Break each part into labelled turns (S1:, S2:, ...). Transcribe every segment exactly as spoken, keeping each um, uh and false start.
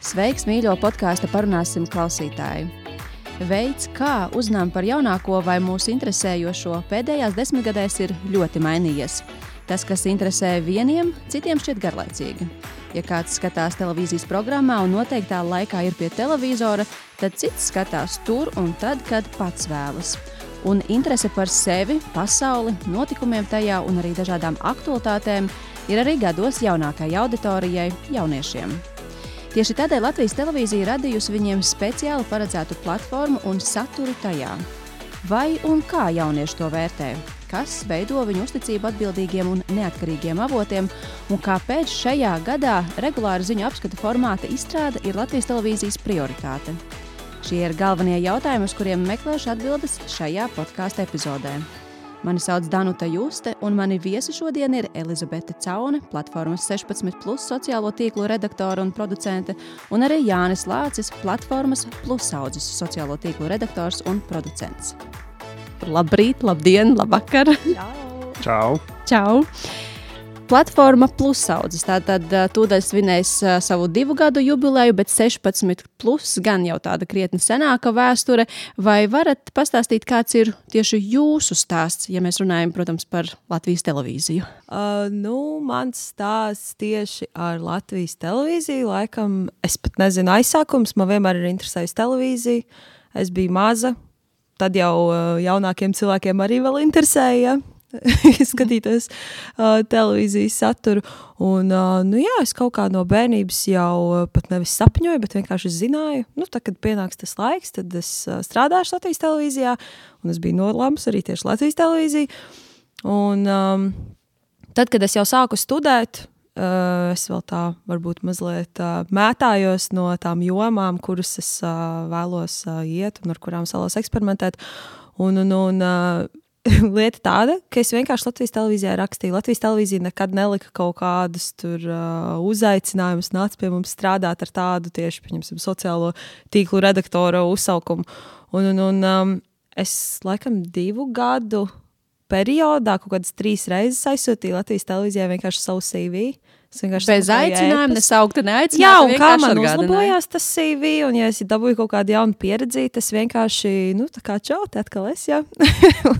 S1: Sveiks, mīļo podkāsta Parunāsim klausītāji! Veids, kā uzzinām par jaunāko vai mūs interesējošo, pēdējās desmitgadēs ir ļoti mainījies. Tas, kas interesē vieniem, citiem šķiet garlaicīgi. Ja kāds skatās televīzijas programmā un noteiktā laikā ir pie televizora, tad cits skatās tur un tad, kad pats vēlas. Un interese par sevi, pasauli, notikumiem tajā un arī dažādām aktualitātēm ir arī gados jaunākai auditorijai, jauniešiem. Tieši tādēļ Latvijas televīzija radījusi viņiem speciāli paredzētu platformu un saturu tajā. Vai un kā jaunieši to vērtē? Kas veido viņu uzticību atbildīgiem un neatkarīgiem avotiem? Un kāpēc šajā gadā regulāra ziņu apskata formāta izstrāde ir Latvijas televīzijas prioritāte? Šie ir galvenie jautājumi, uz kuriem meklēšu atbildes šajā podkāsta epizodē. Mani sauc Danuta Juste, un mani viesi šodien ir Elizabete Caune, platformas sešpadsmit plus sociālo tīklu redaktore un producente, un arī Jānis Lācis, platformas Plusaudzes sociālo tīklu redaktors un producents. Labrīt, labdien, labvakar!
S2: Čau! Čau!
S1: Čau! Platforma Plusaudzes, tātad tūdaļ svinēs savu divu gadu jubileju, bet sešpadsmit plus gan jau tāda krietni senāka vēsture. Vai varat pastāstīt, kāds ir tieši jūsu stāsts, ja mēs runājam, protams, par Latvijas televīziju?
S3: Uh, nu, mans stāsts tieši ar Latvijas televīziju, laikam, es pat nezinu aizsākums, man vienmēr ir interesējusi televīzija. Es biju maza, tad jau jaunākiem cilvēkiem arī vēl interesēja. skatīties uh, televīzijas saturu. Un, uh, nu jā, es kaut kā no bērnības jau uh, pat nevis sapņoju, bet vienkārši zināju. Nu, tad, kad pienāks tas laiks, tad es uh, strādāšu Latvijas televīzijā, un es biju nolēmusi arī tieši Latvijas televīziju. Un um, tad, kad es jau sāku studēt, uh, es vēl tā varbūt mazliet uh, mētājos no tām jomām, kuras es uh, vēlos uh, iet un ar kurām es vēlos eksperimentēt. Un, un, un uh, lieta tāda, ka es vienkārši Latvijas televīzijā rakstīju. Latvijas televīzija nekad nelika kaut kādus tur uh, uzaicinājumus, nāca pie mums strādāt ar tādu tieši, pieņemsim, sociālo tīklu redaktora uzsaukumu. Un, un, un um, es laikam divu gadu periodā kaut kādas trīs reizes aizsūtīju Latvijas televīzijā vienkārši savu C V.
S1: Bez aicinājuma, nesaukta, neaicināta.
S3: Jā, un kā man uzlabojās tas C V, un ja es dabūju kaut kādu jaunu pieredzi, tas vienkārši, nu, tā kā čau, te atkal es, jā. un,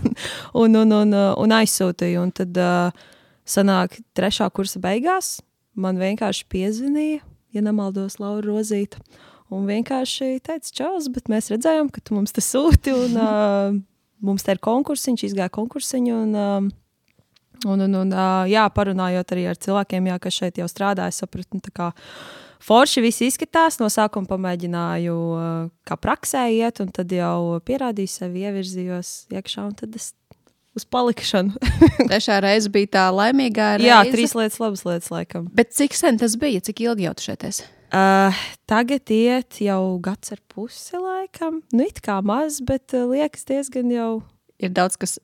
S3: un, un, un, un aizsūtīju, un tad uh, sanāk trešā kursa beigās, man vienkārši piezvanīja, ja nemaldos, Laura Rozīta, un vienkārši teica, čaus, bet mēs redzējām, ka tu mums te sūti, un uh, mums te ir konkursiņš, izgāja konkursiņu, un... Uh, Un, un, un jā, parunājot arī ar cilvēkiem, jā, kas šeit jau strādā, es sapratu, tā kā forši viss izskatās, no sākuma pamēģināju kā praksē iet, un tad jau pierādīju sevi, ievirzījos iekšā, un tad es uz palikšanu.
S1: Trešā reize bija tā laimīgā reize?
S3: Jā, trīs lietas, labas lietas, laikam.
S1: Bet cik sen tas bija? Cik ilgi jau tu šeit esi?
S3: Uh, tagad iet jau gads ar pusi, laikam. Nu, it kā maz, bet uh, liekas diezgan jau...
S1: Ir daudz, kas,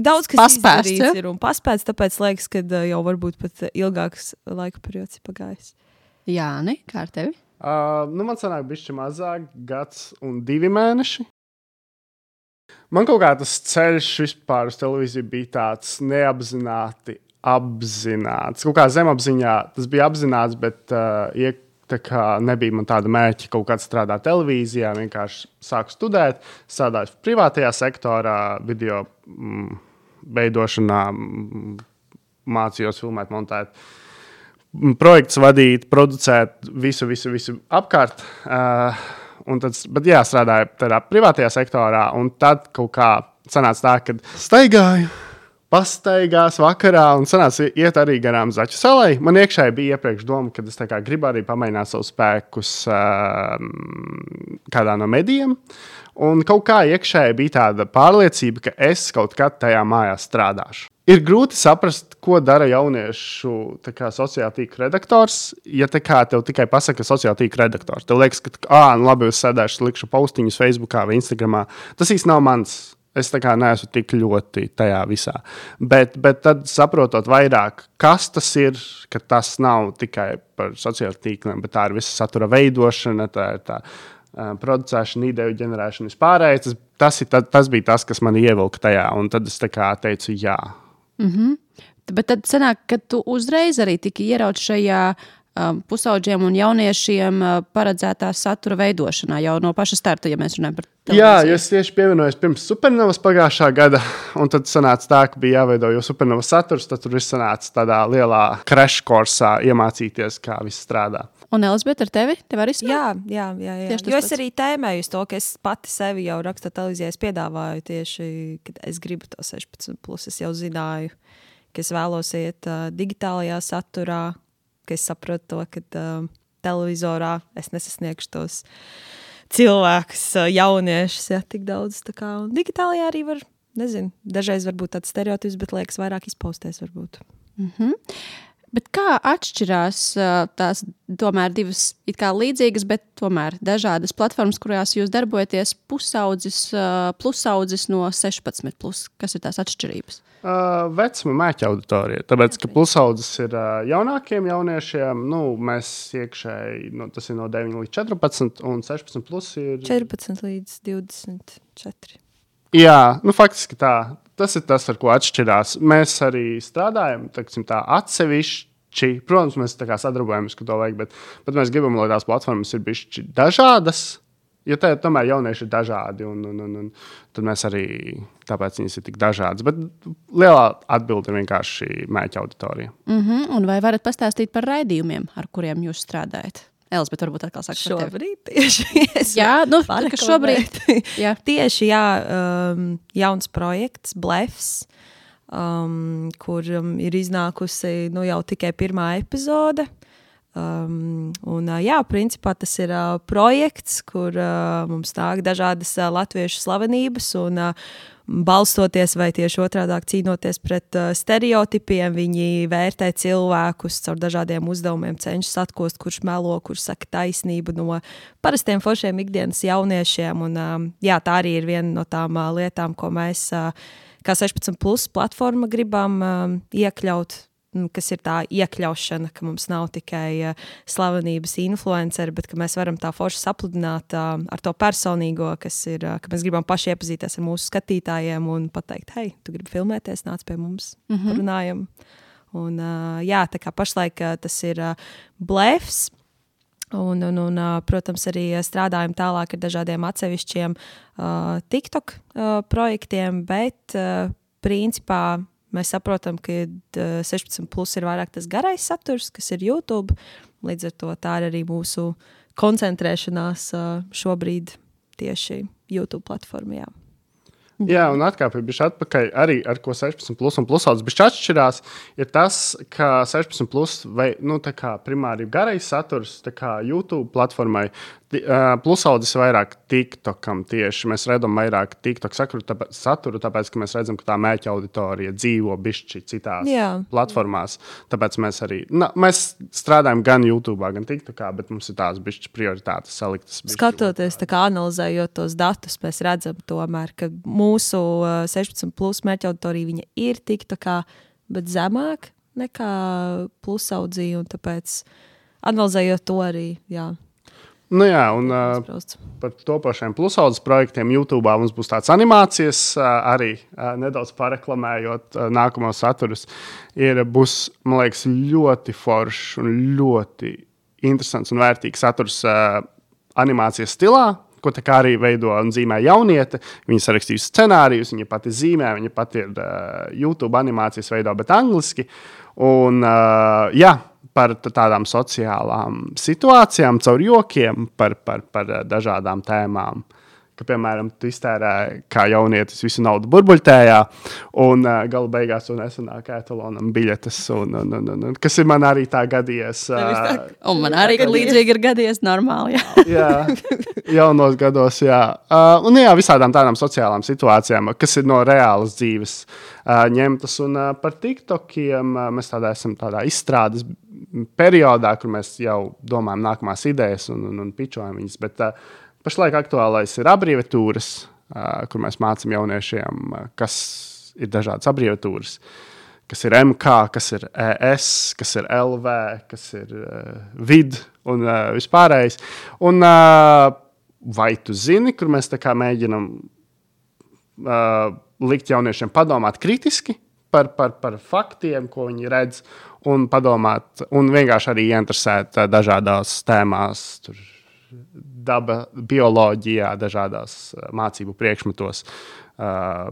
S3: daudz, kas
S1: paspēsts, ja?
S3: ir un paspēts, tāpēc liekas, ka jau varbūt pat ilgāks laika periods ir pagājis.
S1: Jāni, kā ar tevi?
S2: Uh, nu, man sanāk bišķi mazāk, gads un divi mēneši. Man kaut kā tas ceļš vispār uz televīziju bija tāds neapzināti apzināts. Kaut kā zemapziņā tas bija apzināts, bet uh, iek tā kā nebija man tāda mērķa kaut kādā strādāt televīzijā, vienkārši sāku studēt, strādāju privātajā sektorā, video mm, veidošanā, mm, mācījos filmēt, montēt, mm, projekts vadīt, producēt, visu, visu, visu apkārt. Uh, un tad, bet jā, strādāju tādā privātajā sektorā, un tad kaut kā sanāca tā, kad staigāju, pastaigās vakarā un sanāca iet arī garām Zaķu salai. Man iekšēji bija iepriekš doma, ka es tā kā gribu arī pamēģināt savus spēkus uh, kādā no medijiem. Un kaut kā iekšēji bija tāda pārliecība, ka es kaut kad tajā mājā strādāšu. Ir grūti saprast, ko dara jauniešu tā kā sociāla tīkla redaktors, ja tā kā tev tikai pasaka sociāla tīkla redaktors. Tev liekas, ka ā, nu labi, es sēdēšu, likšu postiņus Facebookā vai Instagramā. Tas īsti nav mans. Es tā kā neesmu tik ļoti tajā visā. Bet, bet tad saprotot vairāk, kas tas ir, ka tas nav tikai par sociālajiem tīkliem, bet tā ir visa satura veidošana, tā ir tā uh, producēšana, ideju ģenerēšana vispārējais. Tas, tas, tas, tas bija tas, kas mani ievilka tajā, un tad es tā kā teicu jā.
S1: Mm-hmm. Bet tad sanāk, ka tu uzreiz arī tiki ierauts šajā um, pusaudžiem un jauniešiem uh, paredzētā satura veidošanā jau no paša starta, ja mēs runājam par televīziju?
S2: Jā, jo es tieši pievienojos pirms Supernovas pagājušā gada, un tad sanāca tā, ka bija jāveido jau Supernovas saturs, tad tur viss sanāca tādā lielā crash kursā iemācīties, kā viss strādā.
S1: Un Elizabete, ar tevi? Tev arī
S3: jā, jā, jā, jā. Jo es arī tēmēju uz to, ka es pati sevi jau rakstot televīzijā, es piedāvāju tieši, kad es gribu to sešpadsmit plus, es jau zināju, ka es vēlos iet uh, digitālajā saturā, ka es saprotu to, ka uh, televizorā es nesasniegšu tos cilvēkus, uh, jauniešus, ja, tik daudz. Tā kā, un digitālajā arī var, nezinu, dažreiz varbūt tāds stereotips, bet liekas vairāk izpausties varbūt.
S1: Mhm. Bet kā atšķirās tās tomēr divas it kā līdzīgas, bet tomēr dažādas platformas, kurās jūs darbojaties, pusaudzis, plusaudzis no sešpadsmit plus? Kas ir tās atšķirības?
S2: Uh, vecuma mēķa auditorija. Tāpēc, ka pusaudzis ir uh, jaunākiem jauniešiem, nu, mēs iekšēji, nu, tas ir no deviņi līdz četrpadsmit, un sešpadsmit plus ir...
S3: četrpadsmit līdz divdesmit četri.
S2: Jā, nu, faktiski tā. Tas ir tas, ar ko atšķirās. Mēs arī strādājam, teiksim, tā atsevišķi. Protams, mēs tā kā sadarbojamies, ka to vajag, bet, bet mēs gribam, lai tās platformas ir bišķi dažādas, jo tā, tomēr jaunieši ir dažādi, un, un, un, un tad mēs arī, tāpēc viņas ir tik dažādas. Bet lielā atbilde ir vienkārši mēķa auditorija.
S1: Mm-hmm. Un vai varat pastāstīt par raidījumiem, ar kuriem jūs strādājat? Elizabete, varbūt atkal saka par tevi.
S3: Šobrīd tieši.
S1: Jā, nu, tā kā šobrīd.
S3: Jā. Tieši, jā, um, jauns projekts, Blefs, um, kur um, ir iznākusi nu, jau tikai pirmā epizode. Um, un, uh, jā, principā tas ir uh, projekts, kur uh, mums nāk dažādas uh, latviešu slavenības un uh, balstoties vai tieši otrādāk cīnoties pret uh, stereotipiem, viņi vērtē cilvēkus caur dažādiem uzdevumiem, cenšas atkost, kurš melo, kurš saka taisnību no parastiem foršiem ikdienas jauniešiem. Un, um, jā, tā arī ir viena no tām uh, lietām, ko mēs uh, kā sešpadsmit plus platforma gribam um, iekļaut, kas ir tā iekļaušana, ka mums nav tikai uh, slavenības influenceri, bet ka mēs varam tā forši sapludināt uh, ar to personīgo, kas ir, uh, ka mēs gribam paši iepazīties ar mūsu skatītājiem un pateikt, hei, tu gribi filmēties, nāc pie mums, mm-hmm. runājam. Un uh, jā, tā kā pašlaik uh, tas ir uh, Blefs, un, un, un uh, protams, arī strādājam tālāk ar dažādiem atsevišķiem uh, TikTok uh, projektiem, bet uh, principā mēs saprotam, ka sešpadsmit plus ir vairāk tas garais saturs, kas ir YouTube. Līdz ar to tā ir arī mūsu koncentrēšanās šobrīd tieši YouTube platformā.
S2: Jā, un atkāpju bišķi atpakaļ arī, ar ko sešpadsmit plus un plusaudzis bišķi atšķirās, ir tas, ka sešpadsmit plus vai, nu, tā kā primāri garais saturs, tā kā YouTube platformai, plusaudzis vairāk TikTokam tieši. Mēs redzam vairāk TikTok saturu, tāpēc, saturu, tāpēc, ka mēs redzam, ka tā mēķa auditorija dzīvo bišķi citās Jā. platformās. Tāpēc mēs arī, na, mēs strādājam gan YouTube, gan TikTokā, bet mums ir tās bišķi prioritātes saliktas. Bišķi
S3: Skatoties, tā kā analizējot tos datus, mēs redzam tomēr, ka mūsu sešpadsmit plus mērķa auditorija viņa ir TikTokā, bet zemāk nekā plusaudzī, un tāpēc analizējot to arī, jā.
S2: Nu jā, un uh, par topošiem plusaudzes projektiem YouTube mums būs tāds animācijas, uh, arī uh, nedaudz pareklamējot uh, nākamos saturus. Ir, būs, man liekas, ļoti foršs un ļoti interesants un vērtīgs saturs uh, animācijas stilā, ko tā kā arī veido un zīmē jauniete. Viņa sarakstījusi scenārijus, viņa pati zīmē, viņa pati ir uh, YouTube animācijas veido, bet angliski. Un uh, jā, par tādām sociālām situācijām, caur jokiem, par, par, par dažādām tēmām. Ka, piemēram, tu iztērē kā jaunietis visu naudu burbuļtējā, un uh, gala beigās tu nesanāk etalonam biļetes, un, un, un, un, un, kas ir man arī tā gadījies. Uh,
S1: un man arī līdzīgi ir gadījies normāli, jā.
S2: jā, jaunos gados, jā. Uh, un jā, visādām tādām sociālām situācijām, kas ir no reālas dzīves uh, ņemtas, un uh, par TikTokiem uh, mēs tādā esam tādā izstrādes periodā, kur mēs jau domājam nākamās idejas un, un, un pičojam viņas, bet uh, pašlaik aktuālais ir abreviatūras, uh, kur mēs mācam jauniešiem, uh, kas ir dažādas abreviatūras, kas ir M K, kas ir E S, kas ir L V, kas ir uh, vid un uh, vispārējais. Un uh, vai tu zini, kur mēs tā kā mēģinam uh, likt jauniešiem padomāt kritiski par, par, par faktiem, ko viņi redz, un padomāt, un vienkārši arī ieinteresēt dažādās tēmās, tur, daba, bioloģijā, dažādās mācību priekšmetos, uh,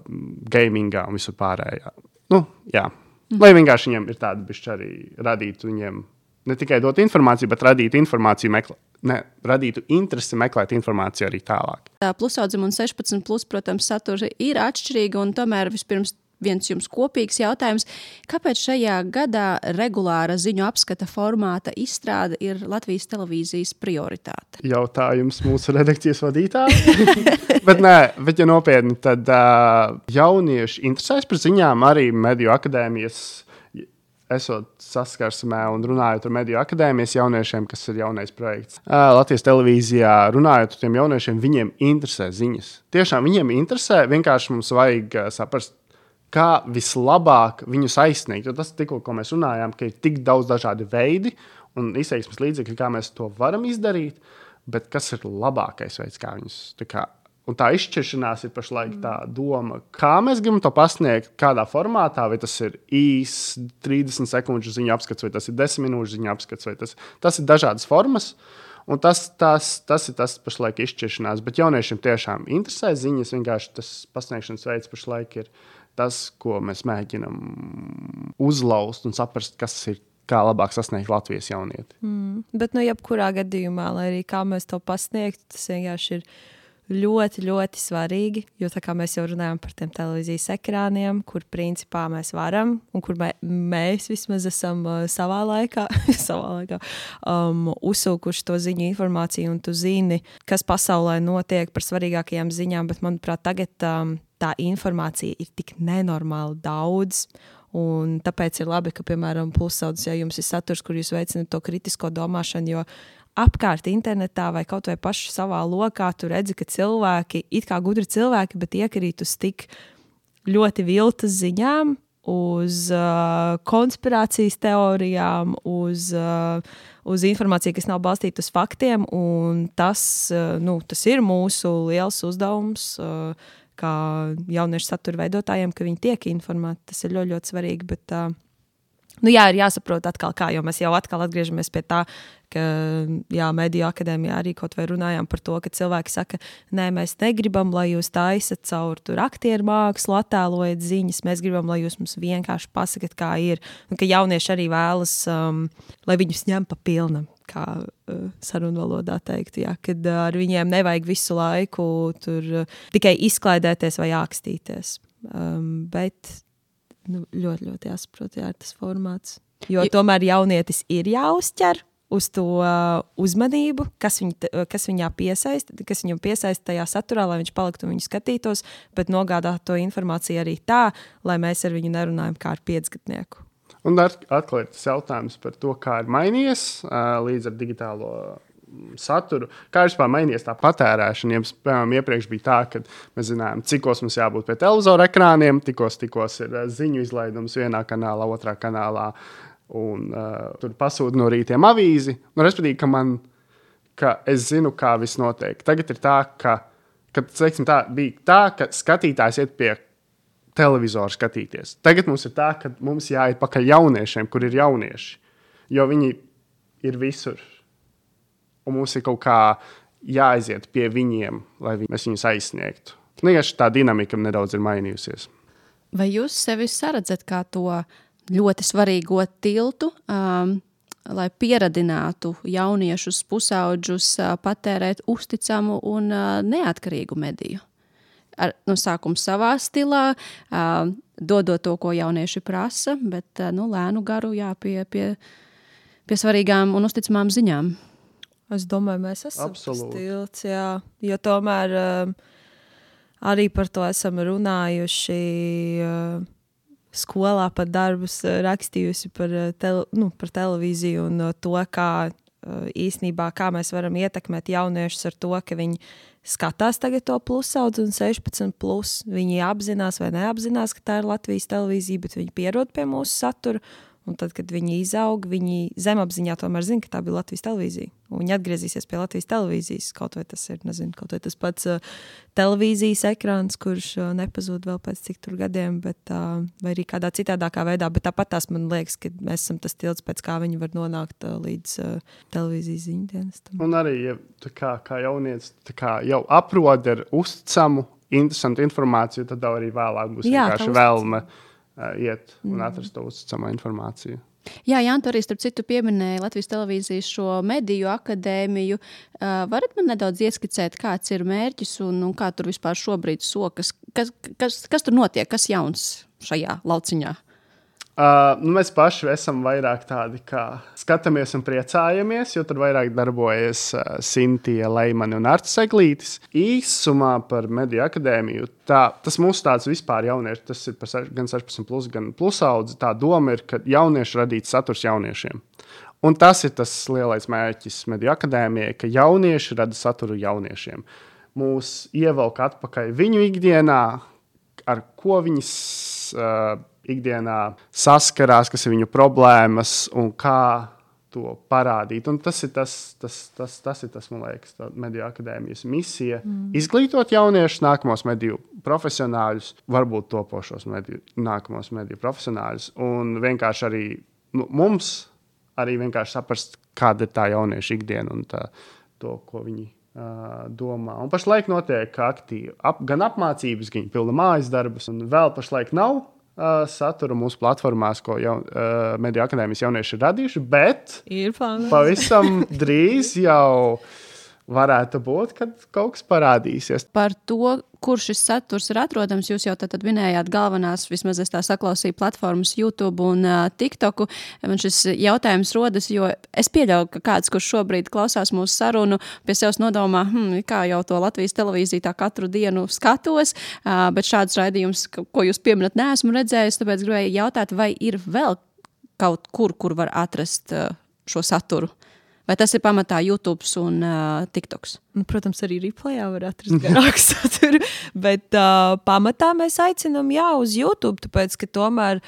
S2: gamingā un visur pārējā. Nu, jā. Mm. Lai vienkārši viņiem ir tāda bišķi arī radītu viņiem ne tikai dot informāciju, bet radītu informāciju, meklē, ne, radītu interesi meklēt informāciju arī tālāk.
S1: Tā plusaudzuma un sešpadsmit plus, protams, satura ir atšķirīga, un tomēr vispirms viens jums kopīgs jautājums. Kāpēc šajā gadā regulāra ziņu apskata formāta izstrāde ir Latvijas televīzijas prioritāte?
S2: Jautājums mūsu redakcijas vadītāji. bet nē, bet ja nopietni, tad uh, jaunieši interesēs par ziņām arī Mediju akadēmijas, esot saskarsmē un runājot ar Mediju akadēmijas jauniešiem, kas ir jaunais projekts. Uh, Latvijas televīzijā runājot ar tiem jauniešiem, viņiem interesē ziņas. Tiešām viņiem interesē, vienkārši mums vajag uh, saprast, kā vislabāk viņus aizsniegt. Jo tas tikko, ko mēs runājām, ka ir tik daudz dažādi veidi un izteiksmes līdzekļi, kā mēs to varam izdarīt, bet kas ir labākais veids, kā viņus... Tā kā, un tā izšķiršanās ir pašlaik tā doma, kā mēs gribam to pasniegt, kādā formātā, vai tas ir īs trīsdesmit sekundžu ziņu apskats, vai tas ir desmit minūšu ziņu apskats, vai tas, tas ir dažādas formas. Un tas, tas, tas ir tas pašlaik izšķiršanās. Bet jauniešiem tiešām interesē ziņas, vienkārši tas pasniegšanas veids pašlaik ir tas, ko mēs mēģinam uzlaust un saprast, kas ir, kā labāk sasniegt Latvijas jaunieti.
S3: Mm, bet, nu, jebkurā gadījumā, lai arī kā mēs to pasniegtu, tas vienkārši ir ļoti, ļoti svarīgi, jo tā kā mēs jau runājam par tiem televīzijas ekrāniem, kur principā mēs varam, un kur mē, mēs vismaz esam uh, savā laikā, savā laikā um, uzsūkuši to ziņu informāciju, un tu zini, kas pasaulē notiek par svarīgākajām ziņām, bet, manuprāt, tagad um, tā informācija ir tik nenormāli daudz, un tāpēc ir labi, ka, piemēram, plusaudzes, ja jums ir saturs, kur jūs veicināt to kritisko domāšanu, jo apkārt internetā vai kaut vai paši savā lokā, tu redzi, ka cilvēki, it kā gudri cilvēki, bet iekrīt uz tik ļoti viltas ziņām, uz uh, konspirācijas teorijām, uz, uh, uz informāciju, kas nav balstīta uz faktiem, un tas, uh, nu, tas ir mūsu liels uzdevums, uh, kā jauniešu satura veidotājiem, ka viņi tiek informēti. Tas ir ļoti, ļoti svarīgi, bet... Uh, Nu jā, ir jāsaprot atkal kā, jo mēs jau atkal atgriežamies pie tā, ka jā, Mediju akadēmijā arī kaut vai runājām par to, ka cilvēki saka, nē, mēs negribam, lai jūs taisat caur tur aktieru mākslu, attēlojat ziņas, mēs gribam, lai jūs mums vienkārši pasakat, kā ir, un ka jaunieši arī vēlas, um, lai viņus ņem pa pilnam, kā uh, sarunvalodā teikt, jā, kad uh, ar viņiem nevajag visu laiku tur uh, tikai izklaidēties vai ākstīties, um, bet... Nu, ļoti, ļoti jāsaprot, jā, tas formāts. Jo tomēr jaunietis ir jāuzķer uz to uh, uzmanību, kas, viņ, kas viņā piesaist, kas viņam piesaist tajā saturā, lai viņš paliktu un viņu skatītos, bet nogādāt to informāciju arī tā, lai mēs ar viņu nerunājam kā ar piecgadnieku.
S2: Un atklāt tas jautājums par to, kā ir mainījies uh, līdz ar digitālo saturu. Kā ir vispār mainījies tā patērēšana? Jums, piemēram, iepriekš bija tā, ka mēs zinājām, cikos mums jābūt pie televizora ekrāniem, tikos, tikos ir ziņu izlaidums vienā kanālā, otrā kanālā, un uh, tur pasūta no rītiem avīzi. Nu, respektīvi, ka man, ka es zinu, kā viss notiek. Tagad ir tā, ka, ka teiksim, tā, bija tā, ka skatītājs iet pie televizora skatīties. Tagad mums ir tā, ka mums jāiet pakaļ jauniešiem, kur ir jaunieši, jo viņi ir visur. Un mums ir kaut kā jāaiziet pie viņiem, lai viņi, mēs viņus aizsniegtu. Vienkārši tā dinamika nedaudz ir mainījusies.
S1: Vai jūs sevi saredzat kā to ļoti svarīgo tiltu, um, lai pieradinātu jauniešus, pusaudžus uh, patērēt uzticamu un uh, neatkarīgu mediju? Ar, no sākuma savā stilā, uh, dodot to, ko jaunieši prasa, bet uh, nu, lēnu garu jā, pie, pie, pie svarīgām un uzticamām ziņām.
S3: Es domāju, mēs esam
S2: Absolūti.
S3: Stilts, jā, jo tomēr um, arī par to esam runājuši uh, skolā, pat darbus uh, rakstījusi par, uh, tele, nu, par televīziju un uh, to, kā uh, īsnībā, kā mēs varam ietekmēt jauniešus ar to, ka viņi skatās tagad to plusaudzi un sešpadsmit plus. Viņi apzinās vai neapzinās, ka tā ir Latvijas televīzija, bet viņi pierod pie mūsu satura. Un tad, kad viņi izaug, viņi zemapziņā tomēr zina, ka tā bija Latvijas televīzija. Un viņi atgriezīsies pie Latvijas televīzijas. Kaut vai tas ir, nezinu, kaut vai tas pats uh, televīzijas ekrāns, kurš uh, nepazūd vēl pēc cik tur gadiem, bet, uh, vai arī kādā citādākā veidā. Bet tāpat tās man liekas, ka mēs esam tas tilts, pēc kā viņi var nonākt uh, līdz uh, televīzijas ziņdienestam.
S2: Un arī, ja tā kā, kā jaunieci tā kā jau aprod ar uzticamu, interesantu informāciju, tad arī vēlāk būs Jā, vienkārši vēlme uh, iet un atrast to uzticamu informāciju.
S1: Jā, Jānis, arī starp citu pieminēja Latvijas televīzijas šo mediju akadēmiju. Uh, varat man nedaudz ieskicēt, kāds ir mērķis un, un kā tur vispār šobrīd sokas? Kas, kas, kas tur notiek? Kas jauns šajā lauciņā?
S2: Uh, nu mēs paši esam vairāk tādi, kā skatāmies un priecājamies, jo tur vairāk darbojas uh, Sintija, Leimani un Artis Eglītis. Īsumā par mediju akadēmiju, tā, tas mūsu tāds vispār jaunieši, tas ir par gan sešpadsmit plus, gan plusaudzi. Tā doma ir, ka jaunieši radīt saturs jauniešiem. Un tas ir tas lielais mērķis mediju akadēmijai, ka jaunieši rada saturu jauniešiem. Mūs ievelk atpakaļ viņu ikdienā, ar ko viņas uh, ikdienā saskarās, kas ir viņu problēmas un kā to parādīt. Un tas ir tas, tas, tas, tas, ir tas man liekas, mediju akadēmijas misija. Mm. Izglītot jauniešus, nākamos mediju profesionāļus, varbūt topošos mediju, nākamos mediju profesionāļus. Un vienkārši arī nu, mums arī vienkārši saprast, kāda ir tā jaunieša ikdiena un tā, to, ko viņi uh, domā. Un pašlaik notiek aktīvi ap, gan apmācības, gan pilna mājas darbus. Un vēl pašlaik nav Uh, satura mūsu platformās, ko jau, uh, mediju akadēmijas jaunieši ir radījuši, bet
S3: ir
S2: pavisam drīz jau varētu būt, kad kaut kas parādīsies.
S1: Par to, kur šis saturs ir atrodams, jūs jau tad minējāt galvenās, vismaz es tā saklausīju, platformas YouTube un uh, TikToku. Man šis jautājums rodas, jo es pieļauju, ka kāds, kurš šobrīd klausās mūsu sarunu, pie sevis nodomā, hm, kā jau to Latvijas televīziju tā katru dienu skatos, uh, bet šāds raidījums, ko jūs pieminat, neesmu redzējis, tāpēc gribēju jautāt, vai ir vēl kaut kur, kur var atrast uh, šo saturu? Vai tas ir pamatā YouTube un uh, TikToks?
S3: Nu, protams, arī replayā var atrast garāku saturu, bet uh, pamatā mēs aicinām jā, uz YouTube, tāpēc, ka tomēr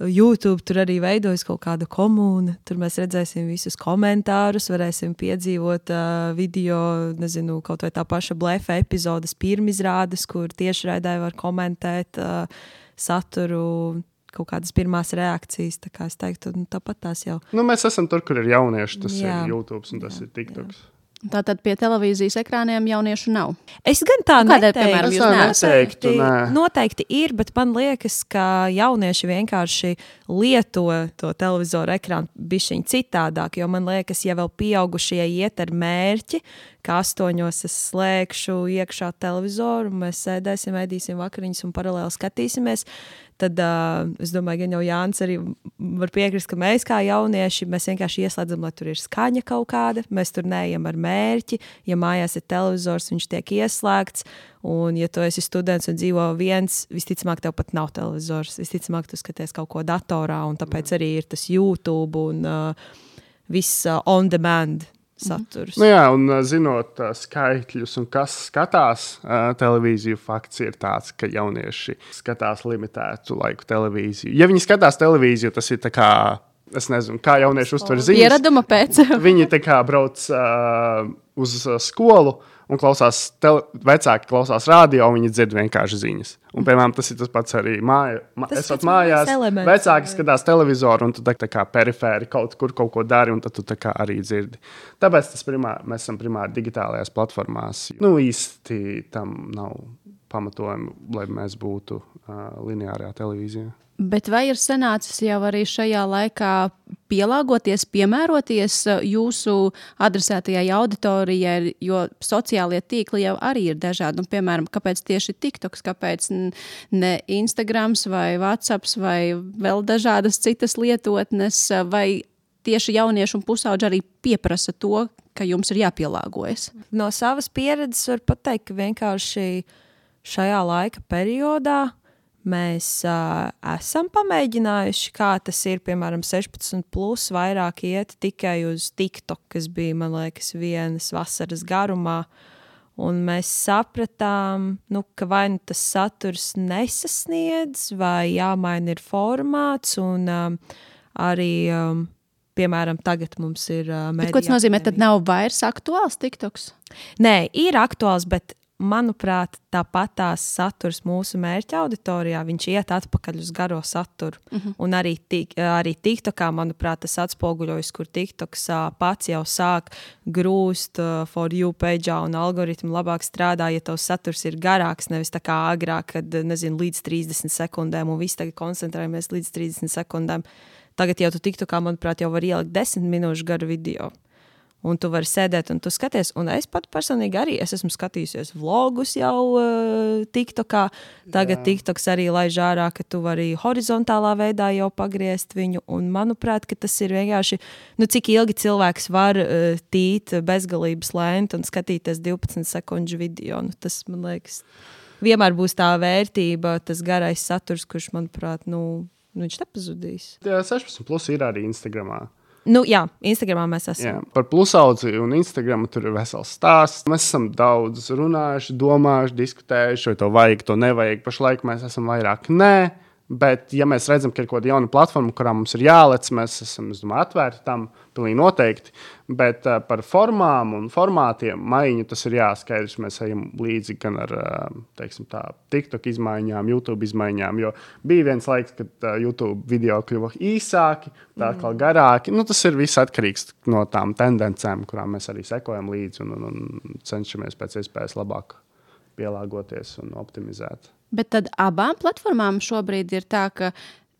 S3: YouTube tur arī veidojas kaut kāda komūna. Tur mēs redzēsim visus komentārus, varēsim piedzīvot uh, video, nezinu, kaut vai tā paša blefa epizodes pirmizrādes, kur tiešraidē var komentēt uh, saturu, kaut kādas pirmās reakcijas, tā kā es teiktu, nu, tāpat tās jau.
S2: Nu, mēs esam tur, kur ir jaunieši, tas jā. ir YouTube un tas jā, ir TikToks. Jā.
S1: Tātad pie televīzijas ekrāniem jauniešu nav?
S3: Es gan tā
S1: Kādēļ,
S3: neteiktu.
S1: Piemēram, jūs
S2: neteiktu, nē.
S3: Noteikti ir, bet man liekas, ka jaunieši vienkārši lieto to televizoru ekrānu bišķiņ citādāk, jo man liekas, ja vēl pieaugušie iet ar mērķi, ka astoņos es slēgšu iekšā televizoru, mēs sēdēsim, ēdīsim vakariņas un paralēli skatīsimies, tad uh, es domāju, gan jau Jānis arī var piekrist, ka mēs kā jaunieši, mēs vienkārši ieslēdzam, lai tur ir skaņa kaut kāda, mēs tur neejam ar mērķi, ja mājās ir televizors, viņš tiek ieslēgts, un ja tu esi students un dzīvo viens, visticamāk tev pat nav televizors, visticamāk tu skaties kaut ko datorā, un tāpēc arī ir tas YouTube un uh, viss uh, on demand saturs.
S2: Nu jā, un zinot uh, skaitļus un kas skatās uh, televīziju, fakts ir tāds, ka jaunieši skatās limitētu laiku televīziju. Ja viņi skatās televīziju, tas ir tā kā, es nezinu, kā jaunieši uztver ziņas.
S1: Piereduma pēc.
S2: Viņi tā kā brauc uh, uz uh, skolu un klausās, tele, vecāki klausās radio, un viņi dzird vienkārši ziņas. Un, piemēram, tas ir tas pats arī māja, ma, esot mājās, elements, vecāki skatās televizoru, un tu tā, tā kā perifēri kaut kur kaut ko dari, un tad tu tā kā arī dzirdi. Tāpēc tas primāri, mēs esam primāri digitālajās platformās. Nu, īsti tam nav pamatojumi, lai mēs būtu uh, lineārajā televīzijā.
S1: Bet vai ir sanācis jau arī šajā laikā pielāgoties, piemēroties jūsu adresētajai auditorijai, jo sociālie tīkli jau arī ir dažādi. Nu, piemēram, kāpēc tieši TikToks, kāpēc ne Instagrams vai WhatsApps vai vēl dažādas citas lietotnes, vai tieši jaunieši un pusauģi arī pieprasa to, ka jums ir jāpielāgojas?
S3: No savas pieredzes var pateikt, ka vienkārši šajā laika periodā mēs uh, esam pamēģinājuši, kā tas ir, piemēram, sešpadsmit plus vairāk iet tikai uz TikTok, kas bija, man liekas, vienas vasaras garumā. Un mēs sapratām, nu, ka vai nu tas saturs nesasniedz, vai jāmaina ir formāts. Un um, arī, um, piemēram, tagad mums ir uh,
S1: Bet ko tas nozīmē, tad nav vairs aktuāls TikToks?
S3: Nē, ir aktuāls, bet manuprāt, tāpat tās saturs mūsu mērķa auditorijā, viņš iet atpakaļ uz garo saturu. Uh-huh. Un arī, tik, arī TikTokā, manuprāt, tas atspoguļojas, kur TikToks pats jau sāk grūst uh, for you page'ā un algoritmi labāk strādā, ja tavs saturs ir garāks, nevis tā kā agrāk, kad, nezinu, līdz trīsdesmit sekundēm un visi tagad koncentrējamies līdz trīsdesmit sekundēm. Tagad jau tu TikTokā, manuprāt, jau var ielikt desmit minūšu garu video. Un tu vari sēdēt un tu skaties, un es pat personīgi arī, es esmu skatījusies vlogus jau uh, TikTokā, tagad Jā. TikToks arī laiž ārā, ka tu vari horizontālā veidā jau pagriezt viņu, un manuprāt, ka tas ir vienkārši, nu cik ilgi cilvēks var uh, tīt bezgalības lēnt un skatīties divpadsmit sekundžu video, nu tas, man liekas, vienmēr būs tā vērtība, tas garais saturs, kurš, manuprāt, nu, nu viņš nepazudīs.
S2: Jā, sešpadsmit plus ir arī Instagramā.
S3: Nu, jā, Instagramā mēs esam.
S2: Jā, par plusaudzi un Instagramu tur ir vesels stāsts. Mēs esam daudz runājuši, domājuši, diskutējuši, vai to vajag, to nevajag. Pašlaik mēs esam vairāk nē. Bet, ja mēs redzam, ka ir kaut kāda jauna platforma, kurā mums ir jālec, mēs esam, es domāju, atvērti tam, pilnīgi noteikti. Bet uh, par formām un formātiem maiņu tas ir jāskaidrs. Mēs ejam līdzi gan ar, uh, teiksim tā, TikTok izmaiņām, YouTube izmaiņām, jo bija viens laiks, kad uh, YouTube video kļuva īsāki, tā atkal garāki. Nu, tas ir viss atkarīgs no tām tendencēm, kurām mēs arī sekojam līdzi un, un, un cenšamies pēc iespējas labāk pielāgoties un optimizēt.
S1: Bet tad abām platformām šobrīd ir tā, ka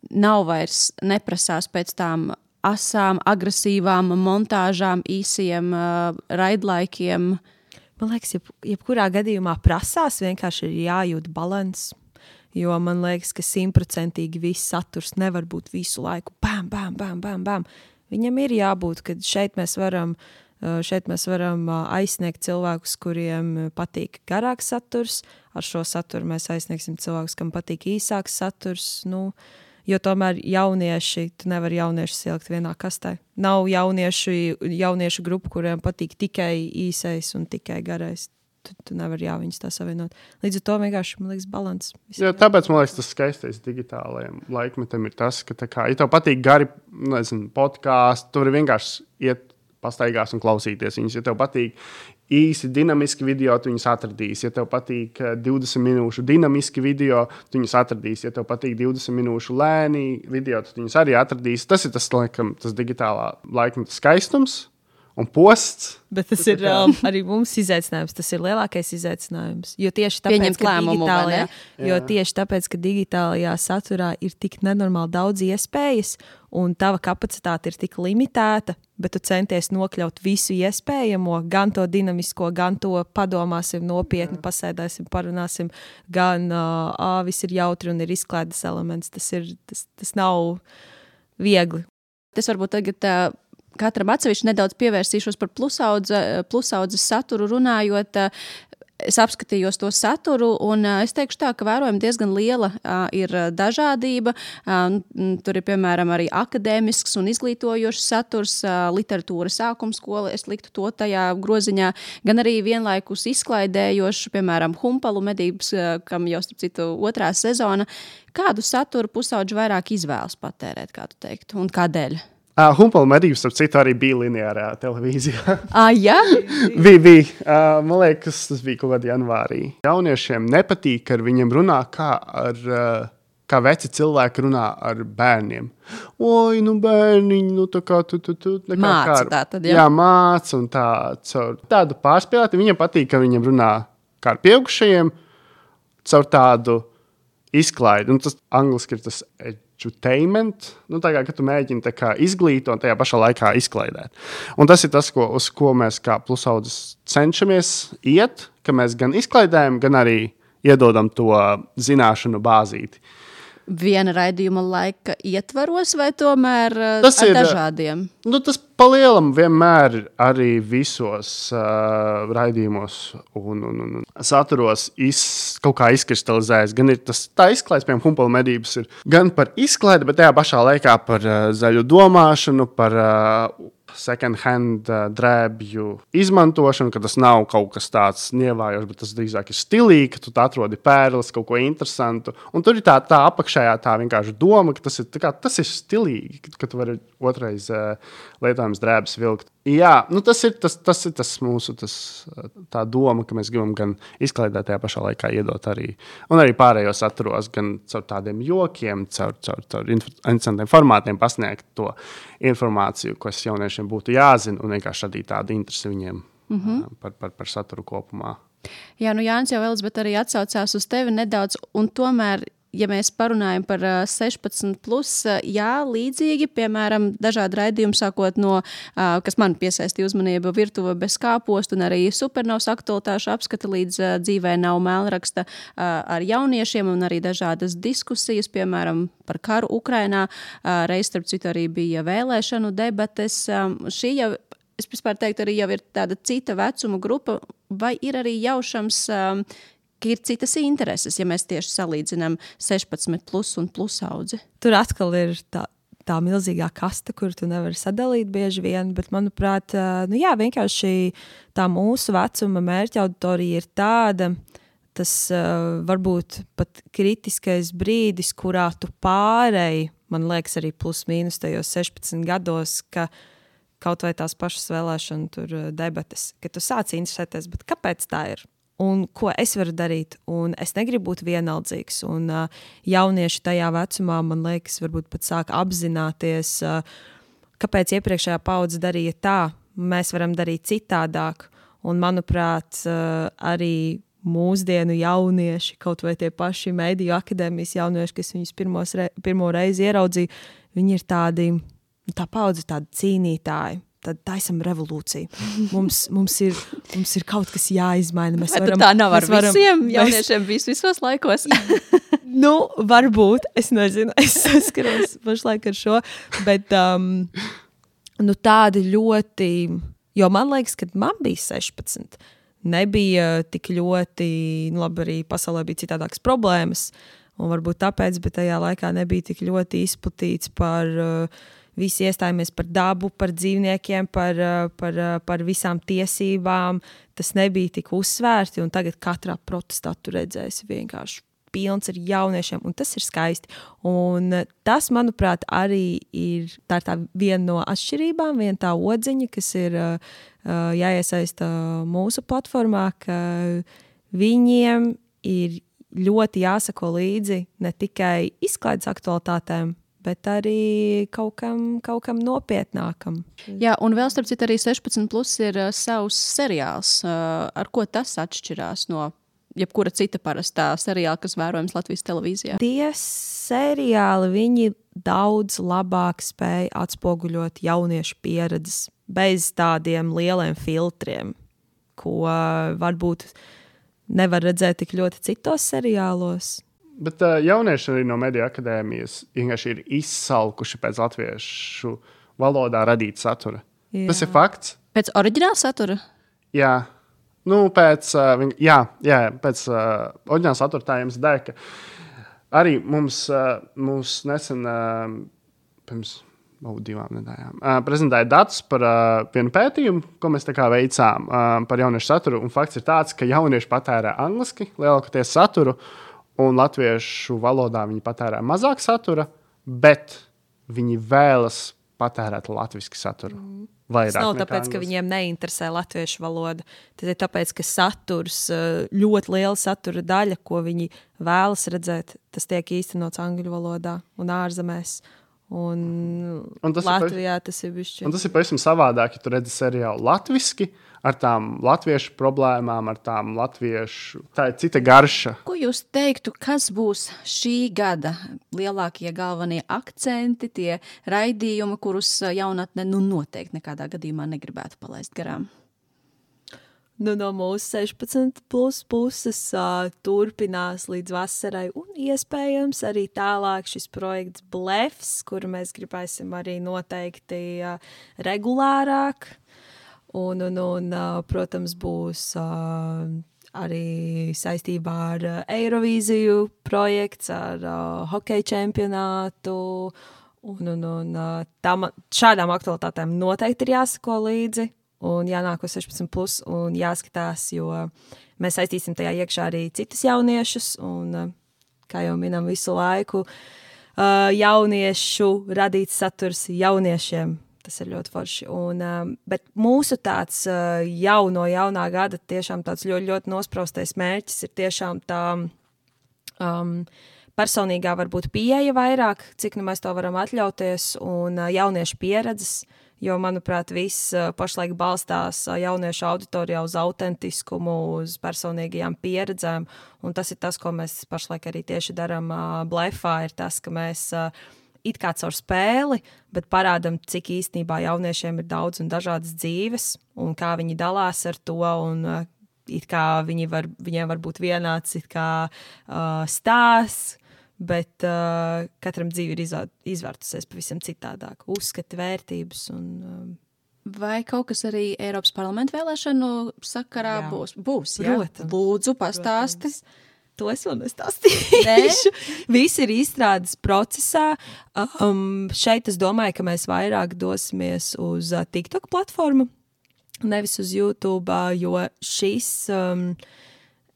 S1: nav vairs neprasās pēc tām asām, agresīvām montāžām, īsiem uh, raidlaikiem.
S3: Man liekas, jeb, jebkurā gadījumā prasās, vienkārši ir jājūt balans. Jo man liekas, ka simtprocentīgi viss saturs nevar būt visu laiku bam, bam, bam, bam, bam. Viņam ir jābūt, ka šeit mēs varam... Šeit mēs varam aizsniegt cilvēkus, kuriem patīk garāks saturs. Ar šo saturu mēs aizsniegsim cilvēkus, kam patīk īsāks saturs. Nu, jo tomēr jaunieši, tu nevari jauniešus ielikt vienā kastē. Nav jauniešu, jauniešu grupu, kuriem patīk tikai īsais un tikai garais. Tu, tu nevari jā, viņus tā savienot. Līdz ar to vienkārši, man liekas, balans.
S2: Jā, tāpēc, man liekas, tas skaistais digitālajiem laikmetam ir tas, ka tā kā, ja tev patīk gari, nezinu, podkāsti, tu vari vienkārši iet pastaigās un klausīties viņus. Ja tev patīk īsi dinamiski video, tu viņus atradīs. Ja tev patīk divdesmit minūšu dinamiski video, tu viņus atradīs. Ja tev patīk divdesmit minūšu lēni video, tu viņus arī atradīs. Tas ir tas, laikam, tas digitālā laikmeta skaistums un posts.
S3: Bet tas ir um, arī mums izaicinājums. Tas ir lielākais izaicinājums. Jo tieši tāpēc,
S1: Pieņemt
S3: ka
S1: lēmumu,
S3: digitālajā, jo
S2: Jā.
S3: tieši tāpēc, ka digitālajā saturā ir tik nenormāli daudz iespējas un tava kapacitāte ir tik limitēta, bet tu centies nokļaut visu iespējamo, gan to dinamisko, gan to padomāsim nopietni, pasēdēsim, parunāsim, gan uh, ā, viss ir jautri un ir izklaides elements. Tas, ir, tas, tas nav viegli.
S1: Tas varbūt tagad uh, katram atsevišķi nedaudz pievērsīšos par plusaudze, plusaudzes saturu runājot. Es apskatījos to saturu, un uh, es teikšu tā, ka vērojam diezgan liela uh, ir dažādība. Uh, tur ir, piemēram, arī akadēmisks un izglītojošs saturs, uh, literatūra sākumskola, es liktu to tajā groziņā, gan arī vienlaikus izklaidējošs, piemēram, Humpalu medības, uh, kam jau, starp citu, otrā sezona. Kādu saturu pusaudži vairāk izvēlas patērēt, kā tu teiktu, un kādēļ?
S2: Uh, Humpalu medības, starp citu, arī bija lineārā televīzijā.
S1: Ah, jā?
S2: bija, bija. Uh, man liekas, tas bija kaut kādā janvārī. Jauniešiem nepatīk, ka ar viņiem runā, kā, ar, uh, kā veci cilvēki runā ar bērniem. Oi, nu bērniņi, nu tā kā tu, tu, tu.
S1: Māca tā tad, jā?
S2: Jā, māca un tā. Caur tādu pārspēlēti. Viņiem patīk, ka viņiem runā kā ar pieaugušajiem, caur tādu izklaidi. Un tas angliski ir tas edutainment, nu tā kā, ka tu mēģini tā kā izglītot un tajā pašā laikā izklaidēt. Un tas ir tas, ko, uz ko mēs kā plusaudzes cenšamies iet, ka mēs gan izklaidējam, gan arī iedodam to zināšanu bāzīti.
S1: Viena raidījuma laika ietvaros vai tomēr
S2: tas
S1: ar
S2: ir,
S1: dažādiem?
S2: Nu, tas palielam vienmēr arī visos uh, raidījumos un, un, un saturos iz, kaut kā izkristalizējas. Gan ir tas tā izklaides, piemēram, Humpalu medības ir gan par izklaidi, bet tajā pašā laikā par uh, zaļu domāšanu, par uh, second hand uh, drēbju izmantošanu, ka tas nav kaut kas tāds nievājošs, bet tas drīzāk ir stilīgi, ka tu atrodi pērles, kaut ko interesantu. Un tur ir tā, tā apakšējā tā vienkārši doma, ka tas ir, kā, tas ir stilīgi, ka, ka tu vari otrais uh, lietojams drēbes vilkt. Jā, nu tas ir tas, tas, ir tas mūsu tas, tā doma, ka mēs gribam gan izklaidēt tajā pašā laikā iedot arī, un arī pārējos atturos, gan caur tādiem jokiem, caur, caur, caur interesantiem formātiem pasniegt to informāciju, kas jauniešiem būtu jāzina, un vienkārši radīt tādu interesi viņiem mm-hmm. par, par, par saturu kopumā.
S1: Jā, nu Jānis jau Elizabete arī atsaucās uz tevi nedaudz, un tomēr ja mēs parunājam par sešpadsmit plus, jā, līdzīgi, piemēram, dažādi raidījumi sākot no, kas man piesaistīja uzmanību, virtuve bez kāpostu un arī supernovas aktualitāšu apskata līdz dzīvē nav mēlraksta ar jauniešiem un arī dažādas diskusijas, piemēram, par karu Ukrainā. Reiz, starp citu, arī bija vēlēšanu debates. Šī jau, es vispār teiktu, arī jau ir tāda cita vecuma grupa, vai ir arī jaušams ka ir citas intereses, ja mēs tieši salīdzinām sešpadsmit plus un plus audzi.
S3: Tur atkal ir tā, tā milzīgā kasta, kur tu nevari sadalīt bieži vien, bet, manuprāt, nu jā, vienkārši tā mūsu vecuma mērķa auditorija ir tāda, tas uh, varbūt pat kritiskais brīdis, kurā tu pārēji, man liekas arī plus mīnus tajos sešpadsmit gados, ka kaut vai tās pašas vēlēšana tur debates, ka tu sāc interesēties, bet kāpēc tā ir? Un ko es varu darīt, un es negribu būt vienaldzīgs, un uh, jaunieši tajā vecumā, man liekas, varbūt pat sāk apzināties, uh, kāpēc iepriekšējā paudze darīja tā, mēs varam darīt citādāk, un manuprāt, uh, arī mūsdienu jaunieši, kaut vai tie paši mediju akadēmijas jaunieši, kas viņus pirmos re, pirmo reizi ieraudzīja, viņi ir tādi, tā paudze tādi cīnītāji. Tad taisam revolūciju. Mums, mums, ir, mums ir kaut kas jāizmaina. Mēs
S1: Vai
S3: varam,
S1: tā nav ar
S3: varam,
S1: visiem jauniešiem mēs... visos laikos?
S3: Nu, varbūt. Es nezinu. Es saskaros pašlaik ar šo. Bet um, nu, tādi ļoti... Jo man liekas, kad man bija sešpadsmit, nebija tik ļoti... Nu, labi, arī pasaulē bija citādākas problēmas. Un varbūt tāpēc, bet tajā laikā nebija tik ļoti izplatīts par... Uh, Visi iestājāmies par dabu, par dzīvniekiem, par, par, par visām tiesībām. Tas nebija tik uzsvērti, un tagad katrā protestā tu redzēsi vienkārši pilns ar jauniešiem, un tas ir skaisti. Un tas, manuprāt, arī ir tā, ir tā viena no atšķirībām, viena tā odziņa, kas ir uh, jāiesaista mūsu platformā, ka viņiem ir ļoti jāsako līdzi ne tikai izklaides aktualitātēm, bet arī kaut kam, kaut kam nopietnākam.
S1: Jā, un vēl starp citu arī sešpadsmit plus ir uh, savs seriāls. Uh, ar ko tas atšķirās no jebkura cita parastā seriāla, kas vērojams Latvijas televīzijā?
S3: Tie seriāli, viņi daudz labāk spēj atspoguļot jauniešu pieredzes bez tādiem lieliem filtriem, ko uh, varbūt nevar redzēt tik ļoti citos seriālos.
S2: Bet uh, jaunieši arī no Mediju akadēmijas vienkārši ir izsalkuši pēc latviešu valodā radīt satura. Jā. Tas ir fakts.
S1: Pēc oriģināla satura?
S2: Jā. Nu, pēc, uh, viņ, jā, jā, pēc uh, oriģināla satura tā jums dēļ, ka arī mums, uh, mums nesen, uh, pirms oh, divām nedēļām, uh, prezentēja datus par uh, vienu pētījumu, ko mēs tā kā veicām uh, par jauniešu saturu. Un fakts ir tāds, ka jaunieši patērē angliski lielākoties saturu, un latviešu valodā viņi patērē mazāk satura, bet viņi vēlas patērēt latviski saturu. Vairāk
S3: tas nav tāpēc,
S2: angliski.
S3: Ka viņiem neinteresē latviešu valoda. Tas ir tāpēc, ka saturs, ļoti liela satura daļa, ko viņi vēlas redzēt, tas tiek īstenots angļu valodā un ārzemēs. Un, un tas Latvijā
S2: ir,
S3: tas ir bišķi.
S2: Un tas ir pavisam savādāk, ja tu redzi seriālu latviski, ar tām latviešu problēmām, ar tām latviešu... Tā ir cita garša.
S1: Ko jūs teiktu, kas būs šī gada lielākie galvenie akcenti, tie raidījumi, kurus jaunatne nu noteikti nekādā gadījumā negribētu palaist garām?
S3: Nu, no mūsu sešpadsmit plus puses uh, turpinās līdz vasarai un iespējams arī tālāk šis projekts Blefs, kuru mēs gribēsim arī noteikti uh, regulārāk. Un, un, un uh, protams, būs uh, arī saistībā ar uh, Eirovīziju projekts, ar uh, hokeja čempionātu Un, un, un tam, šādām aktualitātēm noteikti ir jāsako līdzi un jānāk uz sešpadsmit plus un jāskatās, jo mēs saistīsim tajā iekšā arī citus jauniešus un, kā jau minam visu laiku, jauniešu radīts saturs jauniešiem. Tas ir ļoti forši. Un, bet mūsu tāds jauno, jaunā gada tiešām tāds ļoti, ļoti nospraustais mērķis ir tiešām tā um, personīgā varbūt pieeja vairāk, cik nu mēs to varam atļauties, un jauniešu pieredzes, jo, manuprāt, viss pašlaik balstās jauniešu auditorijā uz autentiskumu, uz personīgajām pieredzēm, un tas ir tas, ko mēs pašlaik arī tieši daram Blefā, ir tas, ka mēs it kā caur spēli, bet parādam, cik īstenībā jauniešiem ir daudz un dažādas dzīves, un kā viņi dalās ar to, un uh, it kā viņi var, viņiem var būt vienāds it kā uh, stāsts, bet uh, katram dzīve ir izvā, izvērtusies pavisam citādāk. Uzskati, vērtības un... Um,
S1: Vai kaut kas arī Eiropas parlamenta vēlēšanu sakarā
S3: jā.
S1: būs? Būs, jā?
S3: Protams.
S1: Lūdzu, pastāsti.
S3: Protams. To es vēl nestāstīšu. Viss ir izstrādes procesā. Um, šeit es domāju, ka mēs vairāk dosimies uz uh, TikTok platformu, nevis uz YouTube, uh, jo šis um,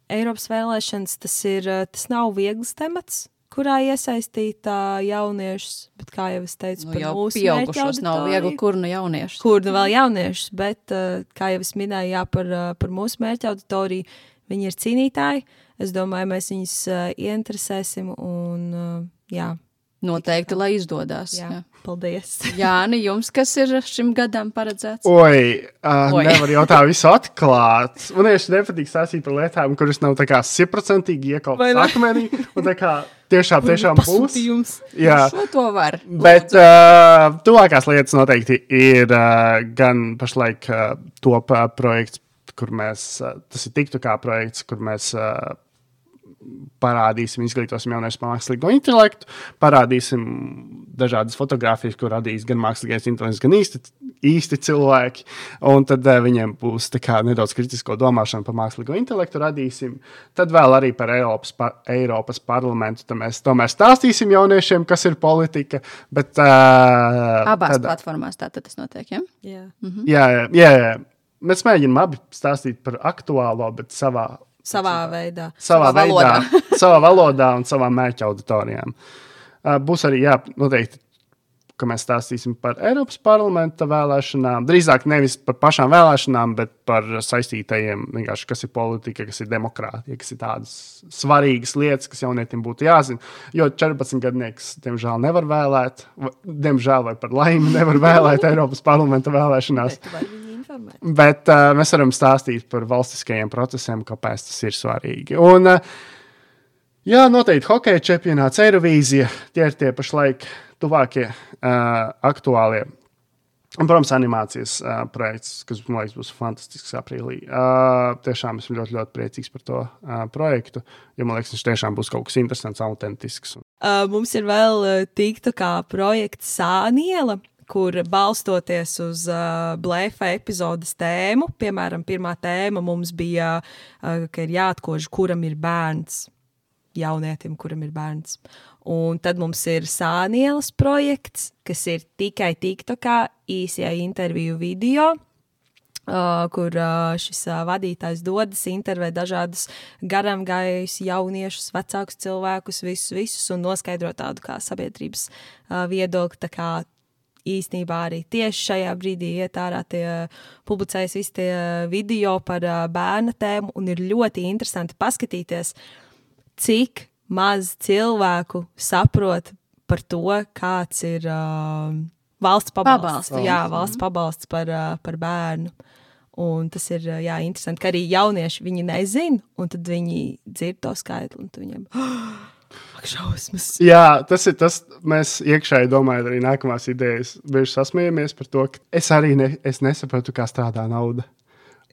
S3: Eiropas vēlēšanas, tas, ir, uh, tas nav viegls temats, kurā iesaistīt uh, jauniešus, bet kā jau es teicu,
S1: Nu,
S3: par
S1: jau
S3: mūsu
S1: pieaugušos nav
S3: mērķa
S1: viegli, kur nu jauniešus.
S3: Kur nu vēl jauniešus, bet, uh, kā jau es minēju, jā, par, uh, par mūsu mērķa auditoriju, viņi ir cīnītāji. Es domāju, mēs viņus uh, ieinteresēsim un, uh, jā.
S1: Noteikti, lai izdodās.
S3: Jā,
S1: Jā.
S3: paldies.
S1: Jāni, jums kas ir šim gadam paredzēts?
S2: Oi, uh,
S1: Oi.
S2: nevar jau tā visu atklāt. Man tieši nepatīk stāstīt par lietām, kuras nav tā kā simtprocentīgi
S3: Vai
S2: iekalptas
S3: ne?
S2: akmenī, un tā kā tiešām, tiešām būs.
S3: Pasūtījums.
S2: Jā,
S1: Šo to var.
S2: bet uh, tuvākās lietas noteikti ir uh, gan pašlaik uh, top uh, projekts, kur mēs, uh, tas ir TikTokā projekts, kur mēs uh, parādīsim, izglītosim jauniešus par mākslīgo intelektu, parādīsim dažādas fotogrāfijas, ko radīs gan mākslīgais intelekts, gan īsti, īsti cilvēki, un tad uh, viņiem būs tā kā nedaudz kritisko domāšanu par mākslīgo intelektu radīsim. Tad vēl arī par Eiropas, par Eiropas parlamentu, tad mēs tomēr stāstīsim jauniešiem, kas ir politika, bet... Uh,
S1: Abās
S2: tad,
S1: platformās tātad tas notiek, ja?
S3: Jā.
S1: Mhm.
S2: jā, jā, jā, jā. Mēs mēģinām abi stāstīt par aktuālo, bet savā
S3: Savā veidā.
S2: savā,
S1: Savā
S2: veidā,
S1: valodā.
S2: savā valodā un savā mērķa auditorijām. Uh, būs arī, jā, noteikti, ka mēs stāstīsim par Eiropas parlamenta vēlēšanām, drīzāk nevis par pašām vēlēšanām, bet par saistītajiem, vienkārši, kas ir politika, kas ir demokrātija, kas ir tādas svarīgas lietas, kas jaunietim būtu jāzina. Jo četrpadsmitgadnieks, diemžēl, nevar vēlēt, diemžēl vai par laimi nevar vēlēt Eiropas parlamenta vēlēšanās.
S3: Bet tu vari viņu informēt.
S2: Bet uh, mēs varam stāstīt par valstiskajiem procesiem, kāpēc tas ir svarīgi. Un, uh, jā, noteikti hokeja čempionāts, Eirovīzija, tie ir tie pašlaik tuvākie uh, aktuālie. Un, protams, animācijas uh, projekts, kas, man liekas, būs fantastisks aprīlī. Uh, tiešām esmu ļoti, ļoti priecīgs par to uh, projektu, jo, man liekas, viņš tiešām būs kaut kas interesants, autentisks.
S3: Uh, mums ir vēl uh, TikTokā projekts Sāniela, kur balstoties uz uh, Blefa epizodes tēmu, piemēram, pirmā tēma mums bija, uh, ka ir jāatkož, kuram ir bērns, jaunietim, kuram ir bērns. Un tad mums ir Sānielas projekts, kas ir tikai TikTokā īsie interviju video, uh, kur uh, šis uh, vadītājs dodas, intervē dažādus garam gājus jauniešus, vecākus cilvēkus, visus, visus, un noskaidro tādu kā sabiedrības uh, viedokli, tā kā īstenībā arī tieši šajā brīdī iet ārā tie publicējas visi tie video par uh, bērna tēmu, un ir ļoti interesanti paskatīties, cik maz cilvēku saprot par to, kāds ir uh, valsts pabalsts.
S1: Pabalsts.
S3: Jā, valsts pabalsts par, uh, par bērnu. Un tas ir uh, jā, interesanti, ka arī jaunieši viņi nezin, un tad viņi dzird to skaitli, un tad viņiem... Ak, šausmas.
S2: Jā, tas ir tas, mēs iekšēji domājam arī nākamās idejas. Bieži sasmējamies par to, ka es arī ne, es nesaprotu, kā strādā nauda.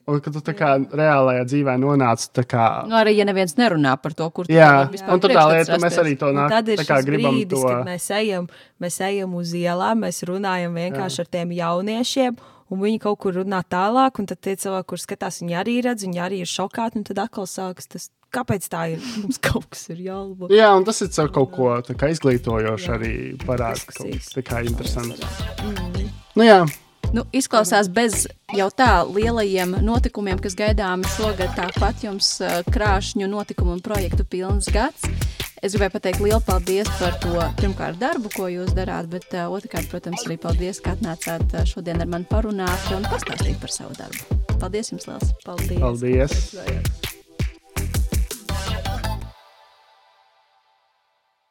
S2: Un kad tu tā kā reālajā dzīvē nonāc, tā kā...
S1: Nu, arī, ja neviens nerunā par to, kur tu
S2: Jā,
S1: vari vispār
S2: un tad tā
S1: priekšstats
S2: lieta, mēs
S1: rasties.
S2: arī to
S3: Un
S2: nāk,
S3: tad ir
S2: tā kā
S3: šis
S2: gribam
S3: brīdis,
S2: to...
S3: kad mēs ejam, mēs ejam uz ielām, mēs runājam vienkārši Jā. ar tiem jauniešiem, un viņi kaut kur runā tālāk, un tad tie cilvēki, kur skatās, viņi arī redz, viņi arī ir šokāti, un tad atkal sākas tas, kāpēc tā ir? Mums kaut kas ir jālabo.
S2: Jā, un tas ir caur kaut ko tā kā izglītojoši arī parāda,
S3: Diskusijas.
S2: tā kā interesants.
S3: Mm.
S2: Nu jā.
S1: Nu, izklausās bez jau tā lielajiem notikumiem, kas gaidāmi šogad, tāpat jums uh, krāšņu notikumu un projektu pilns gads. Es gribēju pateikt lielu paldies par to pirmkārt darbu, ko jūs darāt, bet uh, otrkārt, protams, arī paldies, ka atnācāt uh, šodien ar mani parunāt un pastāstīt par savu darbu. Paldies jums liels!
S3: Paldies!
S2: Paldies!